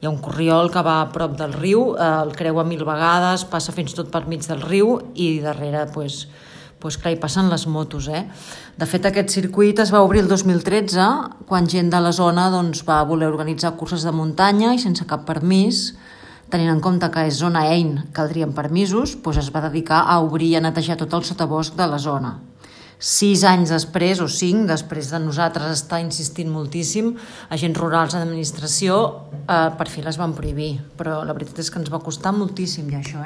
Hi ha un corriol que va a prop del riu, el creua 1000 vegades, passa fins tot per mig del riu i darrere clar, hi passen les motos. De fet, aquest circuit es va obrir el 2013 quan gent de la zona va voler organitzar curses de muntanya i sense cap permís, tenint en compte que és zona EIN, caldrien permisos, es va dedicar a obrir i a netejar tot el sotabosc de la zona. 6 anys després, o 5, després de nosaltres estar insistint moltíssim, agents rurals d'administració per fi les van prohibir, però la veritat és que ens va costar moltíssim ja això,